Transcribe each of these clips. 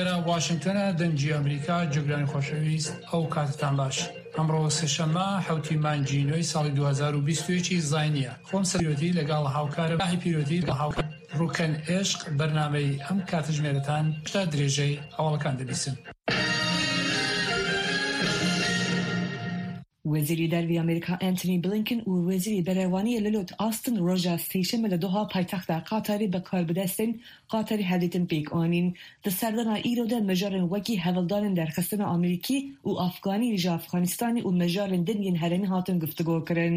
ئێرە واشنگتۆنە دەنگی ئەمریکا جێگرانی خۆشەویست ئەو کاتتان باش ئەمڕۆ سێشەممە حوتی مانگی نۆی ساڵی 2021 زاینیە خۆم سەرۆتی لەگەڵ هاوکارم ماهی پیرۆتی لەگەڵ هاوکار ڕوکەن عێشق بەرنامەی ئەم کاتژمێرەتان تا درێژەی هەواڵەکان دەبیسن. وەزیری دەرەوەی ئەمریکا ئەنتۆنی بلینکن و وەزیری بەرەڤانییە للۆد ئاستن ڕۆژا سێشەممە لە دۆها پایتەختا قەتەری بە کاربەدەستێن قەتەری هەڤدیتن پێک ئانین. دە سەردانا ئیرۆ دە مژارێن وەکی هەڤڵدانێن دەرخستنا ئەمریکی و ئەفغانی ژە ئەفغانستانی و مژارێن دن yên هەرێمی هاتن گفتوگۆکردن.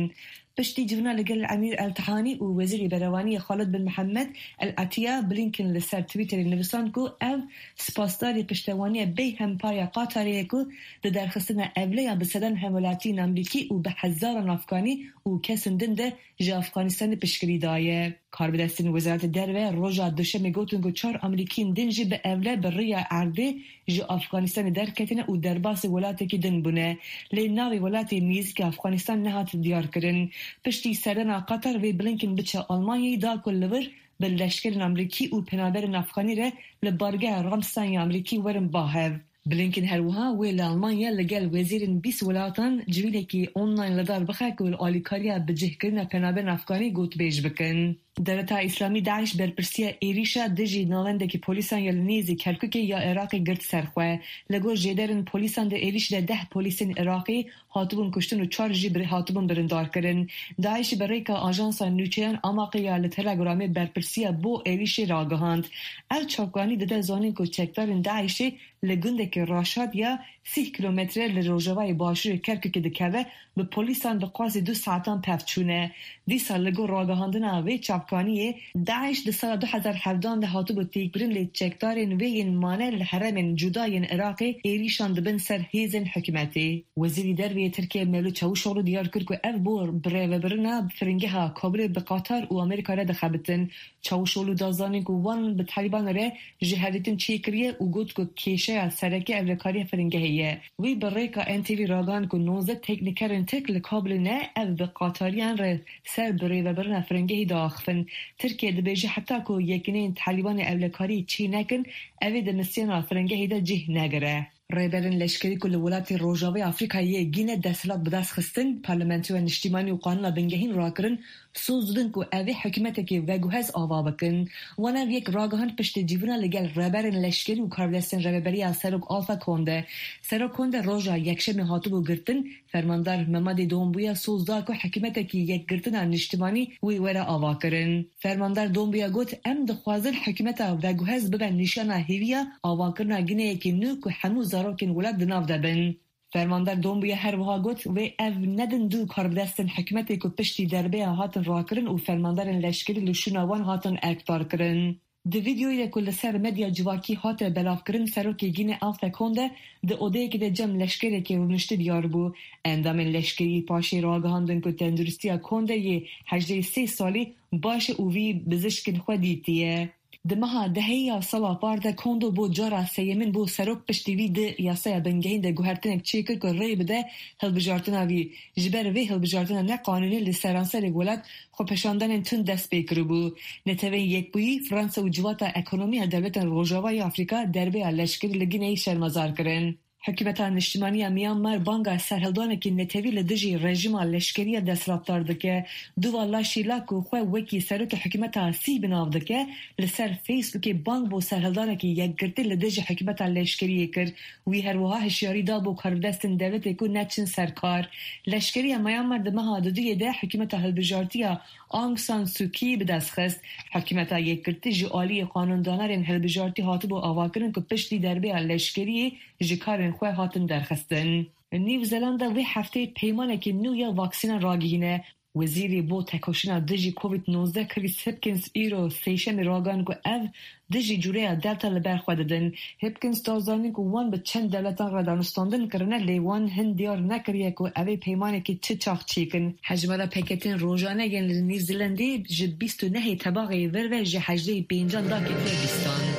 پشتی جڤینا لەگەل ئەمیر ئەلتهانی و وەزیری بەرەڤانییە خالد بن محەممەد ئەلعەتیە، بلینکن لە سەر تویتەرێ نڤساند کو ئەو سپاسداری پشتەوانیە بێ هەمپایا قەتەرێیە کو دە دەرخستنا ئەڤلەیا بە سەدان هەموەلاتیێن ئەمریکی و بە هەزاران ئەفغانی و کەسên دن دە ژە ئەفغانستانێ پشتگری دایە. کاربەدەستێن وەزارەتە دەرڤە ڕۆژا دوشەمێ گوتن کو چار ئەمریکیێن دن ژی بە ئەڤلە بە ڕێیا ئەردێ ژە ئەفغانستانێ دەرکەتنە و دەرباسێ وەلاتێکی دن بوونە. لێ ناوێ وەلاتێ نێزیک ئەفغانستان نەهات دیارکردن. پشتی سەردانا قەتەر وێ بلینکن بچە ئەڵمانیای دا کو li wir bi leşkerên Amerîkî û penaberên Afganî re li bargeha Ramstein ya Amerîkî werin ba hev. Blinken her wiha wê li Almanya li gel wezîrên 20 welatan civînekî online li dar bixe ku li alîkariya bicihkirina penaberên Afganî gotûbêj bikin. Dewleta Îslamî DAIŞ berpirsiya êrîşa dijî navendekî polîsan ya li nêzî Kerkûkê ya Iraqê girt ser xwe. Li gor jêderên polîsan di êrîş de deh polîsên Iraqî hatibûn kuştin û çar jî hatibûn birindarkirin. DAIŞ bi rêka ajansa nûçeyan Amaqê ya li Telegramê berpirsiya bo êrîşê ragihand. Ev çavkanî dide zanîn ku çekdarên DAIŞê li gundekî Raşad ya 30 kîlometre li rojavayê başûrê Kerkûkê dikeve bi polîsan bi qasî du saetan pev çûne. Dîsa li gor ragihandina vê çavkaniyê DAIŞ di sala 2017 de hatibû têkbirin lê çekdarên wê yên mane li herêmên cuda yên Iraqê êrîşan dibin ser hêzên hikûmetê. Wezîrê Derve yê Tirkiye Mevlut Çavuşoglu diyar kir ku ev bo birêvebirina Firingeha Kabulê bi Qatar û Amerîka re dixebitin. Çavuşoglu da zanîn ku wan bi Talîbanê re ji hevdîtin çêkiriye û got ku kêşeya sereke ewlekariya firingehê ye. Wî bi rêka NTV ragihand ku 19 teknîkerên Tirk li Kabulê ne ev bi Qatariyan re ser birêvebirina firingehê diaxivin. Tirkiye dibêje heta ku yekîneyên Talîbanê ewlekariyê çê nekin ev ê di misyona firingehê de cih negire. Rêberên leşkerî ku li welatê Rojavayê Afrîkayê yê Gîne desthilat bi dest xistin, Parlamentoya Niştîmanî û Qanûna Bingehîn rakirin, soz didin ku ev ê hikûmetekê veguhez ava bikin. Wan ev yek ragihand piştî civîna li gel rêberên leşkerî û karbidestên rêveberiya Serok Alpha Conde. Serok Conde roja Yekşemê hatibû girtin, Fermandar Memadê Dombuya soz da ku hikûmetekî yekgirtina niştimanî wê were avakirin. Fermandar Dombuya got, Em dixwazin hikûmeta veguhez bibe nîşana hêviya avakirina Gineyekî nû ku hemû zarokên welat di nav de bin. Fermandar Dombuya her wiha got, Wê ev nedin du karbidestên hikûmetê ku piştî derbeya hatin rakirin û fermandarên leşkerî li şûna wan hatin erkdarkirin. Di vîdeoyê ku li ser medya civakî hate belavkirin Serokê Gînê Alpha Conde di odeyekê de cem leşkerekê rûniştî diyar bû. Endamên leşkerî paşê ragihandin ku tenduristiya Conde yê 83 salî baş e û wî bizişkên xwe dîtiye. Di meha dehê ya sala par de Kondo bo cara sêyemîn bû serok piştî wî di yasaya bingehîn de guhertinek çêkir ku rê bide hilbijartina wî. Ji ber vê hilbijartina neqanûnî li seranserê welat xwepêşandanên tund dest pê kiribû. Neteweyên Yekbûyî, Fransa û Civata Ekonomiya Dewletên Rojava ya Afrîka derbeya leşkerî li Gineyê şermezar kirin. Hikûmeta Niştimanî ya Myanmar banga serhildanekî netewî li dijî rejîma leşkerî ya desthilatdar dike. Duva Laşî La ku xwe wekî serokê hikûmeta sî bi nav dike, li ser Facebookê bang bo serhildanekî yekgirtî li dijî hikûmeta leşkeriyê kir. Wî her wiha hişyarî da bo karbidestên dewletê ku neçin ser kar. Leşkeriya Myanmar di meha duduyê de hikûmeta hilbijartiya Aung San Suu Kyi bi dest xist. Hikûmeta yekgirtî ji aliyê qanûndanerên hilbijartî hatibû avakirin ku piştî derbeya leşkeriyê ji karên xwe hatin derxistin. New Zelanda vê hefteyê peymanekî nû ya vaksînan ragihîne. Wezîrê bo tekoşîna dijî Covid-19 Chris Hipkins îro sêşemê ragihand ku ev dijî cureya Delta li ber xwe didin. Hipkins da zanîn ku wan bi çend dewletan re danûstandin kirine lê wan hin diyar nekiriye ku ev ê peymanekî çi çax çêkin. Hejmara peketên rojane yên li New Zealandê ji 29 Tebaxê vir ve ji 85 da ketiye bîstan.